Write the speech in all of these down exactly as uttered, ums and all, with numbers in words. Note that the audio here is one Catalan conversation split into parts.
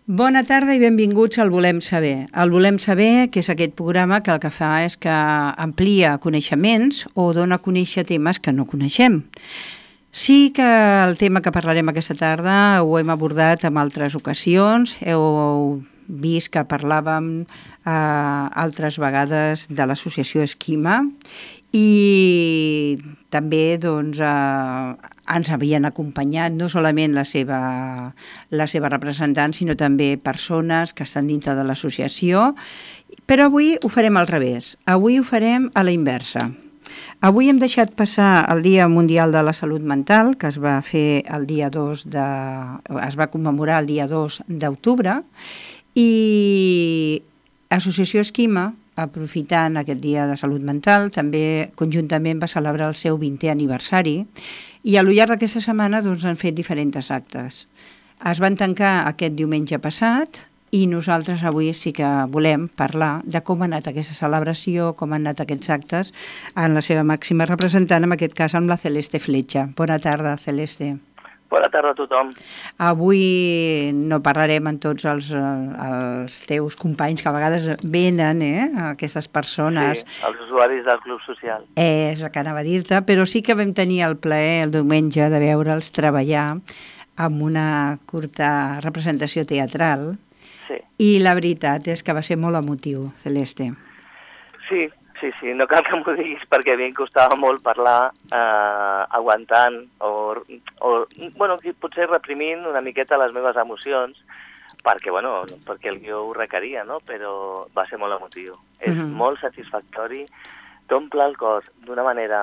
Bona tarda i benvinguts al Volem Saber. El Volem Saber, que és aquest programa que el que fa és que amplia coneixements o dona a conèixer temes que no coneixem. Sí que el tema que parlarem aquesta tarda ho hem abordat en altres ocasions, heu vist que parlàvem eh, altres vegades de l'associació Esquima i també doncs, eh, ens havien acompanyat no solament la seva, la seva representant, sinó també persones que estan dintre de l'associació, però avui ho farem al revés, avui ho farem a la inversa. Avui hem deixat passar el Dia Mundial de la Salut Mental, que es va fer el dia dos de... es va commemorar el dia dos d'octubre, i Associació Esquima, aprofitant aquest Dia de Salut Mental, també conjuntament va celebrar el seu vintè aniversari i al llarg d'aquesta setmana doncs, han fet diferents actes. Es van tancar aquest diumenge passat i nosaltres avui sí que volem parlar de com ha anat aquesta celebració, com han anat aquests actes en la seva màxima representant, en aquest cas amb la Celeste Fletxa. Bona tarda, Celeste. Bona tarda a tothom. Avui no parlarem amb tots els, els teus companys que a vegades venen, eh, aquestes persones. Sí, els usuaris del Club Social. Eh, és el que anava a dir-te, però sí que vam tenir el plaer el diumenge de veure'ls treballar amb una curta representació teatral. Sí. I la veritat és que va ser molt emotiu, Celeste. Sí, sí, sí, no cal que m'ho diguis perquè a mi em costava molt parlar eh, aguantant o, o, bueno, potser reprimint una miqueta les meves emocions perquè, bueno, perquè el guió ho requeria, no? Però va ser molt emotiu. És uh-huh. molt satisfactori, t'omple el cos d'una manera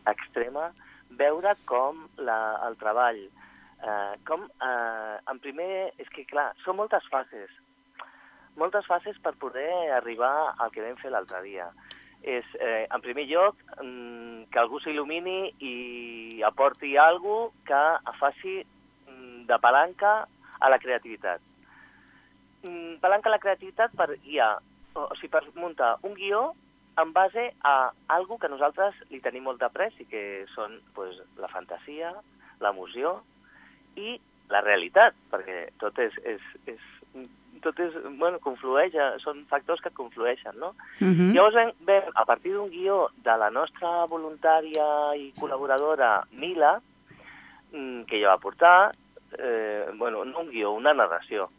extrema veure com la, el treball, eh, com, eh, en primer, és que clar, són moltes fases, moltes fases per poder arribar al que vam fer l'altre dia. És, eh, en primer lloc, mm, que algú s'il·lumini i aporti alguna cosa que faci mm, de palanca a la creativitat. Mm, palanca a la creativitat per guiar, o, o sigui, per muntar un guió en base a alguna que nosaltres li tenim molt d'après i que són pues, la fantasia, l'emoció i la realitat, perquè tot és, és, és tot és, bueno, conflueix, són factors que conflueixen, no? Uh-huh. Llavors vam, vam, a partir d'un guió de la nostra voluntària i col·laboradora Mila, que ella va portar, eh, bueno, no un guió, una narració,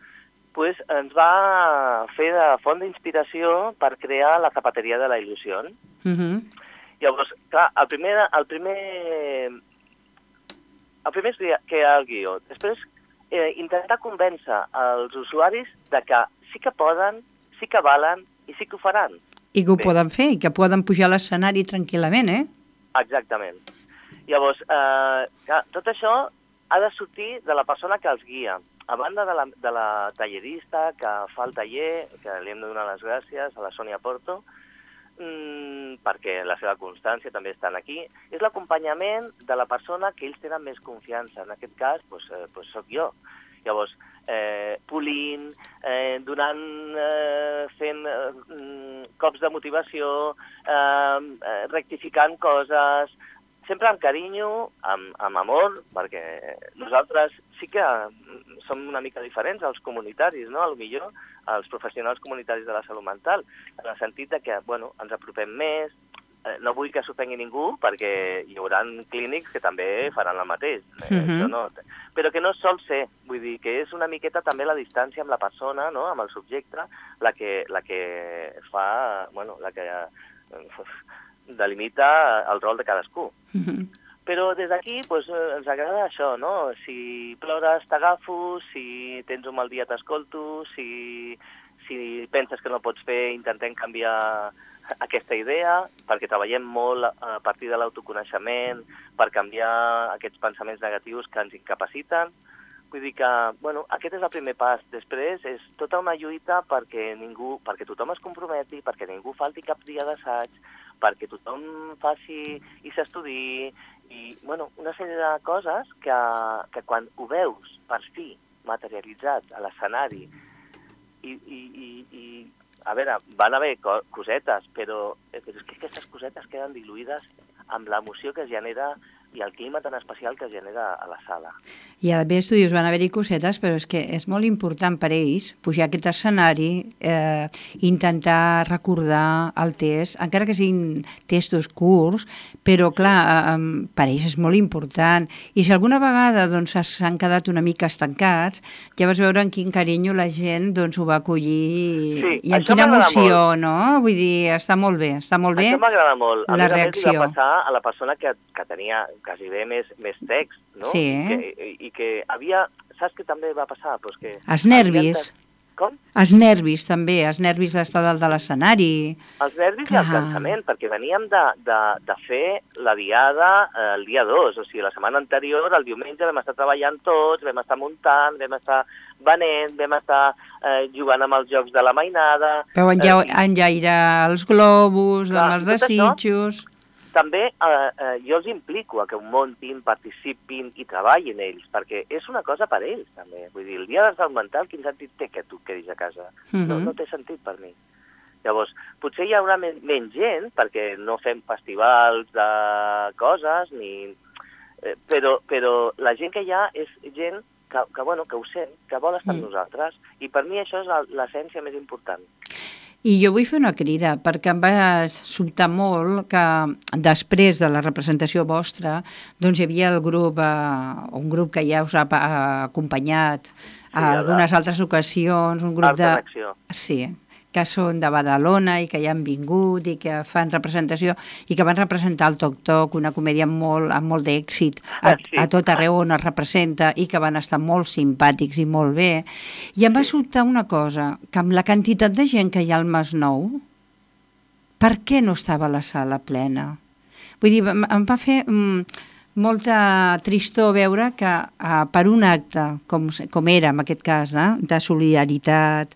pues ens va fer de font d'inspiració per crear la Zapateria de la Il·lusió. Uh-huh. Llavors, clar, el primer, el primer, el primer és crear el guió, després Eh, intentar convèncer els usuaris de que sí que poden, sí que valen i sí que ho faran. I que ho Bé. poden fer, i que poden pujar a l'escenari tranquil·lament, eh? Exactament. Llavors, eh, clar, tot això ha de sortir de la persona que els guia. A banda de la, de la tallerista que fa el taller, que li hem de donar les gràcies a la Sònia Porto, mmm, perquè la seva constància també estan aquí, és l'acompanyament de la persona que ells tenen més confiança. En aquest cas, doncs, eh, doncs soc jo. Llavors, eh, polint, eh, donant, eh, fent eh, cops de motivació, eh, rectificant coses, sempre amb carinyo, amb, amb amor, perquè nosaltres sí que som una mica diferents als comunitaris, no? A lo millor als professionals comunitaris de la salut mental, en el sentit de que, bueno, ens apropem més, eh, no vull que s'ofengui ningú, perquè hi haurà clínics que també faran el mateix, eh, uh-huh. això no, però que no sol ser, vull dir, que és una miqueta també la distància amb la persona, no? Amb el subjecte, la que, la que fa, bueno, la que eh, delimita el rol de cadascú. Uh-huh. Però des d'aquí pues, ens agrada això, no? Si plores t'agafo, si tens un mal dia t'escolto, si, si penses que no pots fer, intentem canviar aquesta idea, perquè treballem molt a partir de l'autoconeixement, per canviar aquests pensaments negatius que ens incapaciten. Vull dir que, bueno, aquest és el primer pas. Després és tota una lluita perquè ningú, perquè tothom es comprometi, perquè ningú falti cap dia d'assaig, perquè tothom faci i s'estudi, i, bueno, una sèrie de coses que, que quan ho veus per fi materialitzat a l'escenari, i, i, i, i, a veure, van haver cosetes, però, però és que aquestes cosetes queden diluïdes amb l'emoció que es genera i el clima tan especial que genera a la sala. I a més tu dius, van haver-hi cosetes, però és que és molt important per ells pujar a aquest escenari, eh, intentar recordar el test, encara que siguin testos curts, però clar, eh, per ells és molt important. I si alguna vegada doncs, s'han quedat una mica estancats, ja vas veure en quin carinyo la gent doncs, ho va acollir Sí, i en això quina m'agrada emoció, no? Vull dir, està molt bé, està molt bé Això m'agrada molt. A la més a més, li reacció. va passar a la persona que, que tenia quasi bé més, més text, no? Sí. I que, i, i que havia... Saps què també va passar? Pues que Els nervis. havien de- Com? Els nervis, també, els nervis d'estar dalt de l'escenari. Els nervis Clar. i el cansament, perquè veníem de, de, de fer la diada eh, el dia dos, o sigui, la setmana anterior, el diumenge, vam estar treballant tots, vam estar muntant, vam estar venent, vam estar eh, jugant amb els jocs de la mainada... Vau enlla eh, enllairar els globus, Clar, amb els tot això- desitjos... També eh, eh, jo els implico a que ho muntin, participin i treballin ells, perquè és una cosa per ells, també. Vull dir, el dia de salut mental, quin sentit té que tu quedis a casa? Mhm. no, no té sentit per mi. Llavors, potser hi haurà men menys gent, perquè no fem festivals de coses, ni... Eh, però, però la gent que hi ha és gent que, que, bueno, que ho sent, que vol estar amb Mm. nosaltres, i per mi això és la- l'essència més important. I jo vull fer una crida, perquè em va sobtar molt que després de la representació vostra doncs hi havia el grup, eh, un grup que ja us ha pa- acompanyat Sí, a algunes altres ocasions, un grup Art de de... l'acció. Sí, que són de Badalona i que ja han vingut i que fan representació i que van representar el Toc Toc, una comèdia molt, amb molt d'èxit a, Sí. a tot arreu on es representa i que van estar molt simpàtics i molt bé. I em va sobtar una cosa, que amb la quantitat de gent que hi ha al Masnou, per què no estava la sala plena? Vull dir, em em va fer mm, molta tristor veure que eh, per un acte, com, com era en aquest cas, eh, de solidaritat,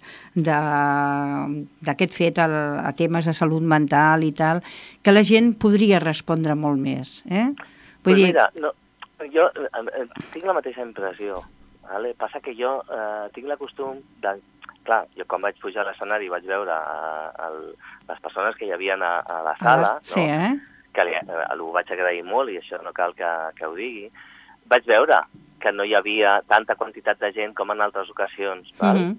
d'aquest fet a, a temes de salut mental i tal, que la gent podria respondre molt més. Eh? Vull Pues dir, mira, no, jo eh, eh, tinc la mateixa impressió. Vale? Passa que jo eh, tinc la costum de... Clar, jo quan vaig pujar a l'escenari vaig veure eh, el, les persones que hi havia a, a la sala, sí, no? eh? que li, eh, ho vaig agrair molt i això no cal que, que ho digui, vaig veure que no hi havia tanta quantitat de gent com en altres ocasions. Val? Mhm.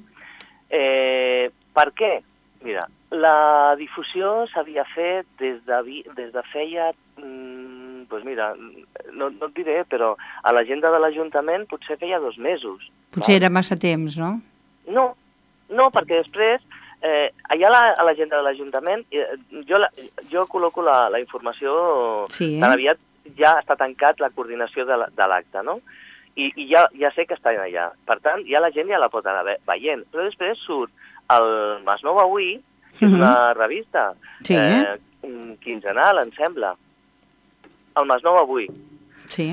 Eh, per què? Mira, la difusió s'havia fet des de, vi- des de feia, mm, doncs mira, no, no et diré, però a l'agenda de l'Ajuntament potser feia dos mesos. Potser val? era massa temps, no? No, no, perquè després, eh, allà a la- a l'agenda de l'Ajuntament, eh, jo, la, jo col·loco la, la informació, Sí. tan aviat ja està tancat la coordinació de la- de l'acte, no? I, i ja, ja sé que està allà. Per tant, ja la gent ja la pot anar ve- veient. Però després surt el Masnou Avui, que és Mhm. una revista Sí. eh, quinzenal, em sembla. El Masnou Avui, Sí.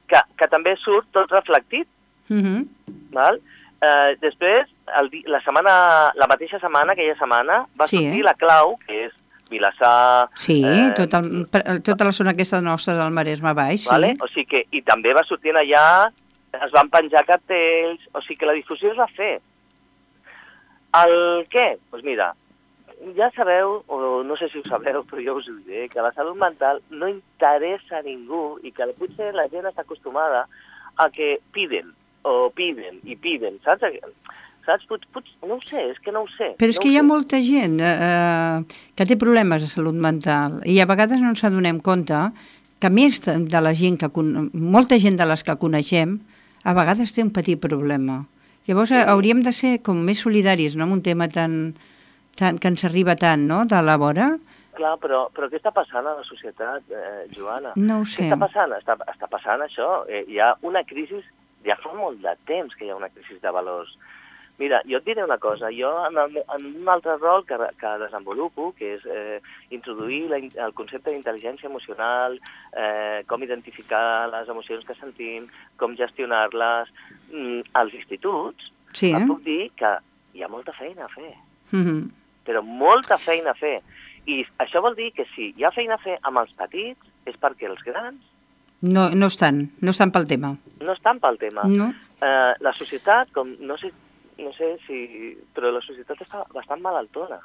que, que també surt tot reflectit. Mhm. Val? Eh, després, el, di- la, setmana, la mateixa setmana, aquella setmana, va Sí, sortir eh? la clau, que és Vilassar... Sí, eh, tot el, per- tota la zona aquesta nostra del Maresme Baix, sí. Vale? O sigui que, i també va sortint allà, es van penjar cartells, o sigui que la difusió es va fer. El què? Doncs pues mira, ja sabeu, o no sé si ho sabeu, però jo us ho diré, que la salut mental no interessa a ningú i que potser la gent està acostumada a que piden, o piden, i piden, saps? Saps? Pot, pot, no ho sé, és que no ho sé. Però és no que ho hi ha sé. molta gent eh, que té problemes de salut mental i a vegades no ens adonem compte que més de la gent que... con- molta gent de les que coneixem a vegades té un petit problema. Llavors Sí. sí. hauríem de ser com més solidaris, no?, amb un tema tan, tan, que ens arriba tant, no?, de la vora. Clar, però, però què està passant a la societat, eh, Joana? No ho Què sé. està passant? Està, està passant això. Eh, hi ha una crisi, ja fa molt de temps que hi ha una crisi de valors. Mira, jo et diré una cosa. Jo, en, el, en un altre rol que, que desenvolupo, que és eh, introduir la, el concepte d'intel·ligència emocional, eh, com identificar les emocions que sentim, com gestionar-les, mm, als instituts, Sí, et eh? puc dir que hi ha molta feina a fer, Mhm. però molta feina a fer. I això vol dir que si hi ha feina a fer amb els petits, és perquè els grans No, no estan, no estan pel tema. no estan pel tema. No? Eh, la societat, com no sé, no sé si... però la societat està bastant malaltona.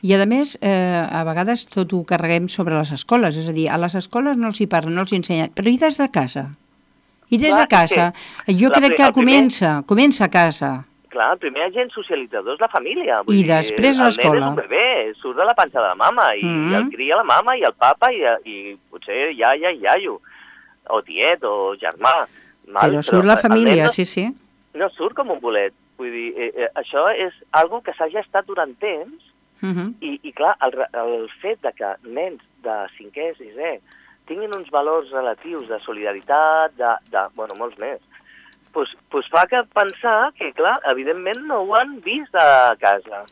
I, a més, eh, a vegades tot ho carreguem sobre les escoles, és a dir, a les escoles no els hi parlen, no els hi ensenyen, però i des de casa? I des Clar, de casa? Jo la, crec que primer, comença, comença a casa. Clar, el primer agent socialitzador és la família. I dir, després a l'escola. El nen és un bebè, surt de la panxa de la mama, i, mm -hmm. i el cria la mama, i el papa, i, i potser iaia i iaio, o tiet, o germà. Mal, però surt però la família, no, sí, sí. No surt com un bolet. Vull dir, eh, eh, això és algo que s'ha gestat durant temps, uh -huh. i, i clar, el, el fet de que nens de cinquè, sisè, tinguin uns valors relatius de solidaritat, de, de bueno, molts més, pues, pues fa que pensar que, clar, evidentment no ho han vist a casa.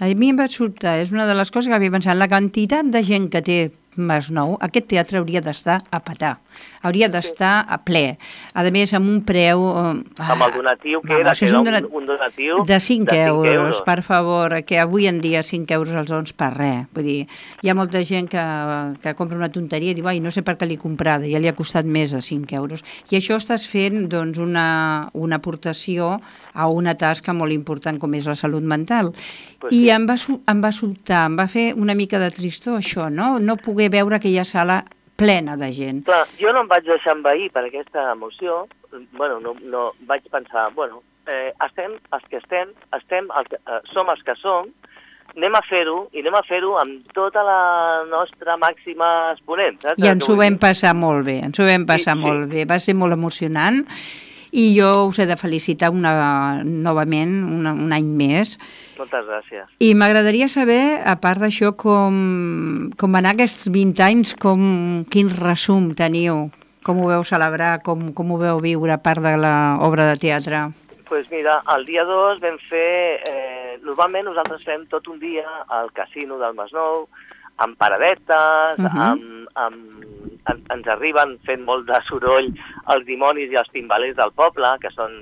A mi em va sobtar, és una de les coses que havia pensat, la quantitat de gent que té Masnou, aquest teatre hauria d'estar a petar, hauria d'estar a ple, a més amb un preu... Uh, amb el donatiu que era, que era un, donat... un donatiu de cinc euros, per favor, que avui en dia cinc euros els dons per res, vull dir, hi ha molta gent que, que compra una tonteria i diu, ai, no sé per què l'he comprada, ja li ha costat més de cinc euros, i això estàs fent, doncs, una, una aportació a una tasca molt important com és la salut mental, pues i sí. em, va, em va sobtar, em va fer una mica de tristor això, no? No poder veure aquella sala plena de gent. Clar, jo no em vaig deixar envair per aquesta emoció, bueno, no, no vaig pensar, bueno, eh, estem els que estem, estem el que, eh, som els que som, anem a fer-ho, i anem a fer-ho amb tota la nostra màxima exponent. Saps? I ens ho vam passar molt bé, ens ho vam passar sí, molt sí. bé, va ser molt emocionant, i jo us he de felicitar una, novament, una, un any més. Moltes gràcies. I m'agradaria saber, a part d'això, com, com van anar aquests vint anys, com, quin resum teniu, com ho veu celebrar, com, com ho veu viure, a part de l'obra de teatre? Doncs pues mira, el dia dos vam fer, eh, normalment nosaltres fem tot un dia al casino del Masnou, amb paradetes, uh -huh. amb, amb, en, ens arriben fent molt de soroll els dimonis i els timbalers del poble, que són...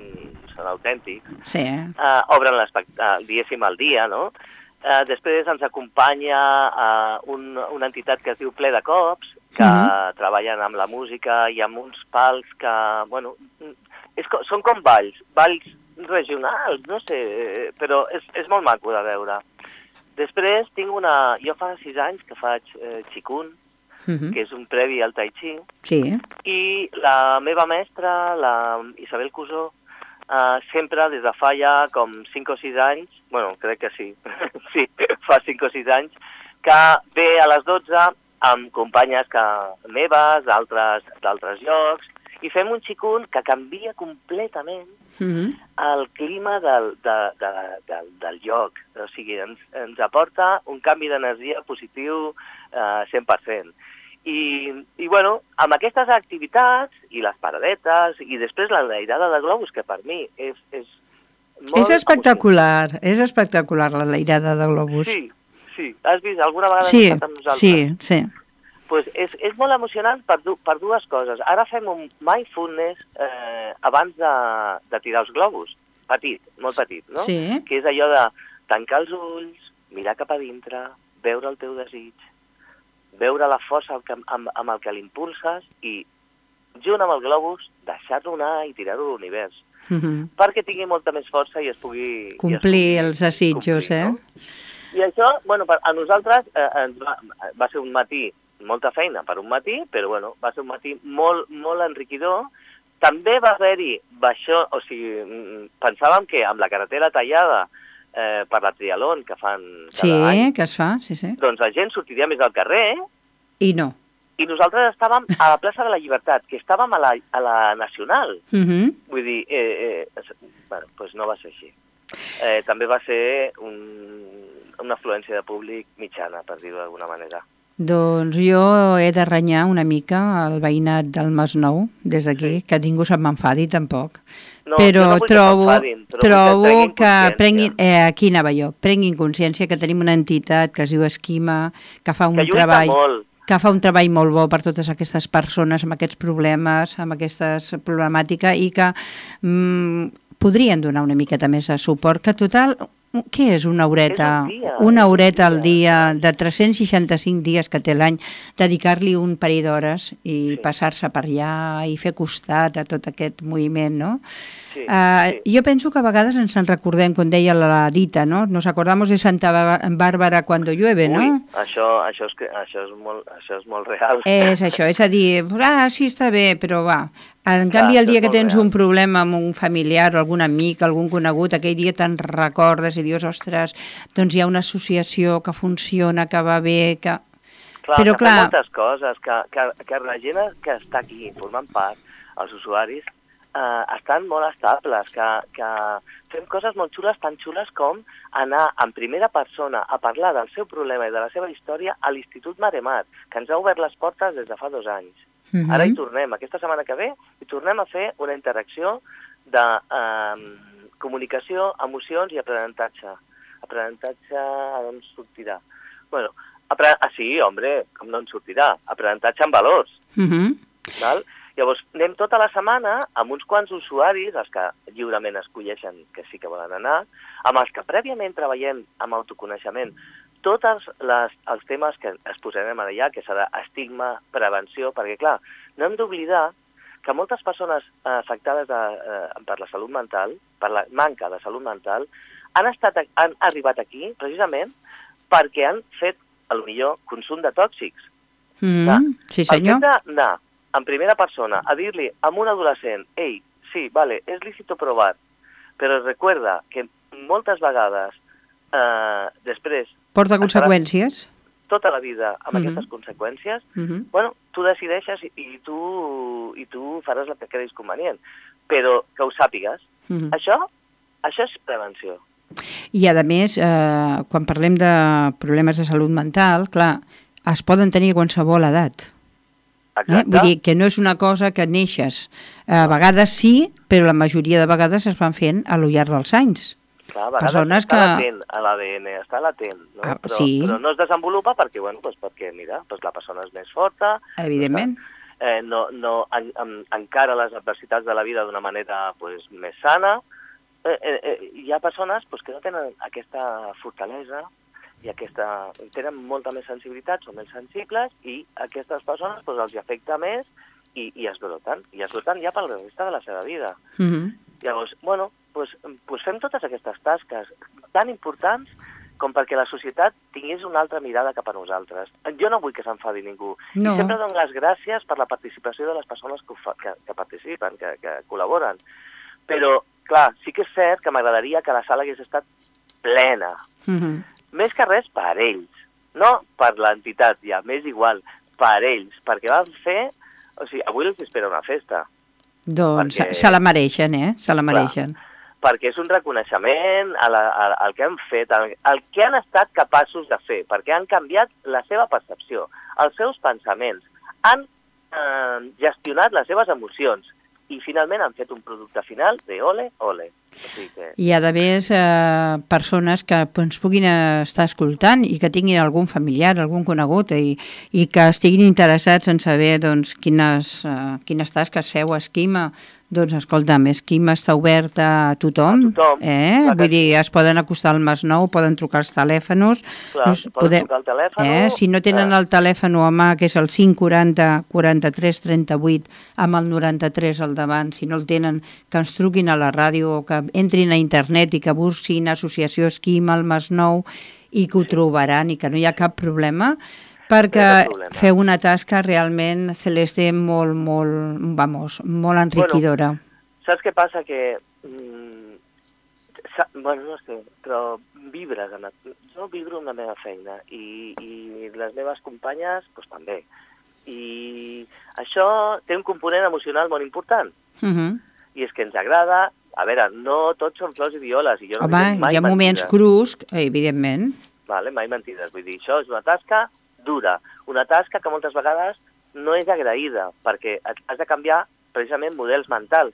són autèntics, sí. uh, obren uh, diguéssim el dia, no? Uh, després ens acompanya uh, un, una entitat que es diu Ple de Cops, que uh -huh. treballen amb la música i amb uns pals que, bueno, és, són com balls, balls regionals, no sé, però és, és molt maco de veure. Després tinc una... Jo fa sis anys que faig eh, Qigong, uh -huh. que és un previ al Tai Chi, sí. i la meva mestra, la Isabel Cusó, Uh, sempre des de fa ja com cinc o sis anys, bueno, crec que sí, sí, fa cinc o sis anys, que ve a les dotze amb companyes que, meves, d'altres llocs, i fem un Qigong que canvia completament mm-hmm. el clima del, de, de, de, del lloc. O sigui, ens, ens aporta un canvi d'energia positiu uh, cent per cent. I, i bueno, amb aquestes activitats i les paradetes i després la leirada de globus, que per mi és, és molt... És espectacular, emocionant. És espectacular la leirada de globus. Sí, sí. Has vist? Alguna vegada sí, has estat amb nosaltres? Sí, sí. Pues és, és molt emocionant per, du, per dues coses. Ara fem un mindfulness eh, abans de, de tirar els globus. Petit, molt petit, no? Sí. Que és allò de tancar els ulls, mirar cap a dintre, veure el teu desig, veure la força amb, amb el que l'impulses i, junt amb el globus, deixar-lo anar i tirar-ho a l'univers. Mm-hmm. Perquè tingui molta més força i es pugui... Complir es pugui els desitjos, complir, eh? No? I això, bueno, a nosaltres eh, ens va, va ser un matí, molta feina per un matí, però bueno, va ser un matí molt, molt enriquidor. També va haver-hi baixó, o sigui, pensàvem que amb la carretera tallada Eh, per la triatlon que fan cada sí, any. Sí, que es fa, sí, sí. Doncs la gent sortiria més al carrer. I no. I nosaltres estàvem a la plaça de la Llibertat, que estàvem a la, a la Nacional. Uh-huh. Vull dir, eh, eh, bueno, doncs no va ser així. Eh, també va ser un, una afluència de públic mitjana, per dir-ho d'alguna manera. Doncs jo he de renyar una mica el veïnat del Masnou, des d'aquí, sí. Que ningú se'n m'enfadi tampoc. No, però no trobo, que trobo que, que prenguin, eh, aquí anava jo, prenguin consciència que tenim una entitat que es diu Esquima, que fa un que treball molt. que fa un treball molt bo per totes aquestes persones amb aquests problemes, amb aquesta problemàtica i que mm, podrien donar una miqueta més de suport, que total, Què és una horeta? És un dia, Una és un horeta al dia. dia, de tres-cents seixanta-cinc dies que té l'any, dedicar-li un parell d'hores i Sí. passar-se per allà i fer costat a tot aquest moviment, no? Sí, Uh, sí. jo penso que a vegades ens en recordem, com deia la dita, no? Nos acordamos de Santa Bàrbara cuando llueve, no? Ui, això, això, és, que- això, és molt, això és molt real. És això, és a dir, ah, sí, està bé, però va. En Clar, canvi, el això dia és que molt tens real. un problema amb un familiar o algun amic, algun conegut, aquell dia te'n recordes i dius, ostres, doncs hi ha una associació que funciona, que va bé, que... Clar, Però, que clar- fem moltes coses, que, que, que la gent que està aquí formant part, els usuaris, eh, estan molt estables, que, que fem coses molt xules, tan xules com anar en primera persona a parlar del seu problema i de la seva història a l'Institut Maremar, que ens ha obert les portes des de fa dos anys. Uh -huh. Ara hi tornem, aquesta setmana que ve, i tornem a fer una interacció de eh, comunicació, emocions i aprenentatge. Aprenentatge, d'on sortirà? Bueno, apre... ah, sí, hombre, com no en sortirà? Aprenentatge amb valors. Uh -huh. Val? Llavors, anem tota la setmana amb uns quants usuaris, els que lliurement escolleixen que sí que volen anar, amb els que prèviament treballem amb autoconeixement, tots les, els temes que es posarem allà, que serà estigma, prevenció, perquè, clar, no hem d'oblidar que moltes persones eh, afectades de, eh, per la salut mental, per la manca de salut mental, han, estat, han arribat aquí precisament perquè han fet, potser, consum de tòxics. Mm, Clar, sí, senyor. El fet d'anar en primera persona a dir-li a un adolescent, ei, sí, vale, és lícito provar, però recuerda que moltes vegades eh, després... Porta conseqüències. Tota la vida amb Mhm. aquestes conseqüències, Mhm. bueno, tu decideixes i, i, tu, i tu faràs el que creguis convenient, però que ho sàpigues. Mhm. Això, això és prevenció. I, a més, eh, quan parlem de problemes de salut mental, clar, es poden tenir a qualsevol edat. Eh? Exacte. Vull dir que no és una cosa que neixes. A vegades sí, però la majoria de vegades es van fent a lo llarg dels anys. Clar, a vegades persones està que- latent a l'A D N, està latent, no? Ah, però, sí. però no es desenvolupa perquè, bueno, pues perquè mira, pues la persona és més forta, Evidentment. eh, no, no en, en, encara les adversitats de la vida d'una manera pues, més sana. Eh, eh, eh, hi ha persones pues, que no tenen aquesta fortalesa i aquesta, tenen molta més sensibilitat, són més sensibles i aquestes persones pues, els hi afecta més i, i es broten, i es broten ja per la resta de la seva vida. Mhm. Llavors, bueno, pues, pues fem totes aquestes tasques tan importants com perquè la societat tingués una altra mirada cap a nosaltres. Jo no vull que s'enfadi ningú. No. I sempre dono les gràcies per la participació de les persones que, ho fa, que, que participen, que, que col·laboren. Però, clar, sí que és cert que m'agradaria que la sala hagués estat plena. Mhm. Més que res per ells. No per l'entitat, ja, m'és igual. Per ells, perquè van fer... O sigui, avui els espera una festa. Doncs Perquè- se la mereixen, eh? Se la mereixen. Perquè és un reconeixement a la, a, al que han fet, al, al que han estat capaços de fer, perquè han canviat la seva percepció, els seus pensaments, han eh, gestionat les seves emocions i finalment han fet un producte final de ole, ole. O sigui que... I, a més, eh, persones que ens puguin estar escoltant i que tinguin algun familiar, algun conegut i, i que estiguin interessats en saber doncs, quines, eh, quines tasques feu a Esquima. Doncs, escolta'm, Esquima està oberta a tothom. A tothom, Eh? clar que Vull dir, sí. es poden acostar al Masnou, poden trucar als telèfons. Clar, Us poden trucar al telèfon, Eh? Si no tenen eh. el telèfon a mà, que és el cinc quaranta quaranta-tres trenta-vuit, amb el noranta-tres al davant, si no el tenen, que ens truquin a la ràdio o que entrin a internet i que busquin Associació Esquima al Masnou i que ho trobaran i que no hi ha cap problema, perquè No hi ha cap problema. feu una tasca realment, Celeste, molt, molt, vamos, molt enriquidora. Saps què passa? Que... Mm, sa, bueno, no sé, però vibres. En el, jo vibro amb la meva feina i, i les meves companyes pues, també. I això té un component emocional molt important. Uh -huh. I és que ens agrada... A veure, no tots són flors i violes. I jo no Home, dic mai hi ha moments mentides. crus, evidentment. Vale, mai mentides. Vull dir, això és una tasca dura. Una tasca que moltes vegades no és agraïda, perquè has de canviar precisament models mentals.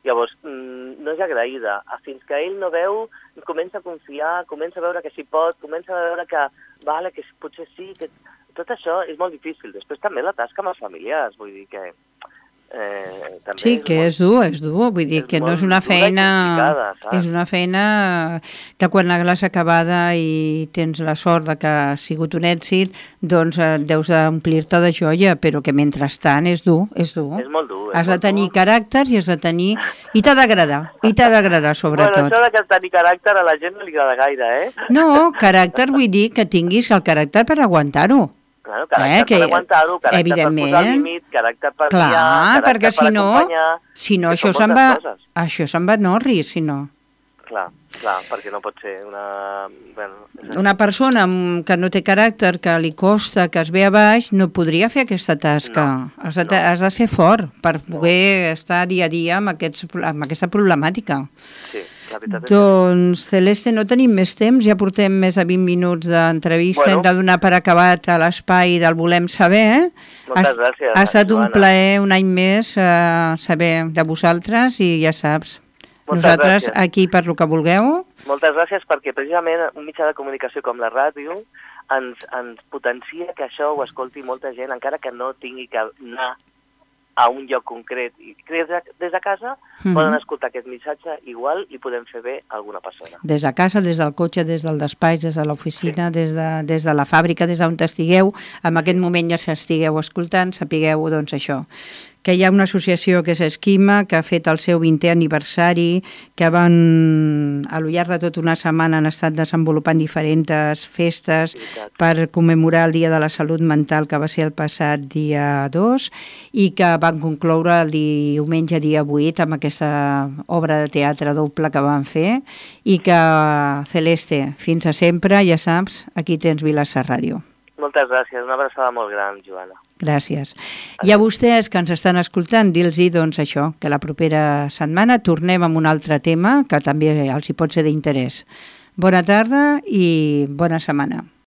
Llavors, mmm, no és agraïda. Fins que ell no veu, comença a confiar, comença a veure que s'hi pot, comença a veure que, vale, que potser sí, que tot això és molt difícil. Després també la tasca amb els familiars, vull dir que Eh, també sí, és que molt, és dur, és dur, vull dir és que no molt és una dura i feina... complicada, saps? És una feina que quan l'has acabada i tens la sort de que ha sigut un èxit, doncs eh, deus d'omplir-te de joia, però que mentrestant és dur, és dur. És molt dur. És Has de molt tenir dur. caràcters i has de tenir... I t'ha d'agradar, i t'ha d'agradar Bueno, sobretot. això de que tenir caràcter a la gent no li agrada gaire, eh? No, caràcter vull dir que tinguis el caràcter per aguantar-ho. Claro, caràcter Eh, que, per aguantar-ho, caràcter per posar evidentment, límit, caràcter per clar, guiar, caràcter perquè si per no, acompanyar... si no que això són se'n moltes va, coses. això se'n va Norris, si no. Clar, clar, perquè no pot ser una... Bueno, és així. Una persona amb- que no té caràcter, que li costa, que es ve a baix, no podria fer aquesta tasca. No, has, de, no. has de ser fort per poder estar dia a dia amb, aquests, amb aquesta problemàtica. Sí, la veritat és que... Doncs, Celeste, no tenim més temps, ja portem més de vint minuts d'entrevista, Bueno. hem de donar per acabat a l'espai del Volem Saber. Eh? Moltes ha, gràcies, Ha estat un Joana. plaer un any més eh, saber de vosaltres i ja saps, Moltes nosaltres gràcies. aquí per lo que vulgueu. Moltes gràcies perquè precisament un mitjà de comunicació com la ràdio ens, ens potencia que això ho escolti molta gent, encara que no tingui que anar a un lloc concret. I des de, des de casa Mhm. poden escoltar aquest missatge igual i podem fer bé a alguna persona. Des de casa, des del cotxe, des del despatx, des de l'oficina, sí. des, de, des de la fàbrica, des d'on estigueu, en aquest moment ja s'estigueu escoltant, sapigueu doncs això, que hi ha una associació que és Esquima, que ha fet el seu vintè aniversari, que van, a lo llarg de tota una setmana han estat desenvolupant diferents festes Veritat. per commemorar el Dia de la Salut Mental, que va ser el passat dia dos, i que van concloure el diumenge dia vuit amb aquesta obra de teatre doble que van fer, i que, Celeste, fins a sempre, ja saps, aquí tens Vilassar Ràdio. Moltes gràcies, una abraçada molt gran, Joana. Gràcies. I a vostès que ens estan escoltant, dir-los doncs això, que la propera setmana tornem amb un altre tema que també els hi pot ser d'interès. Bona tarda i bona setmana.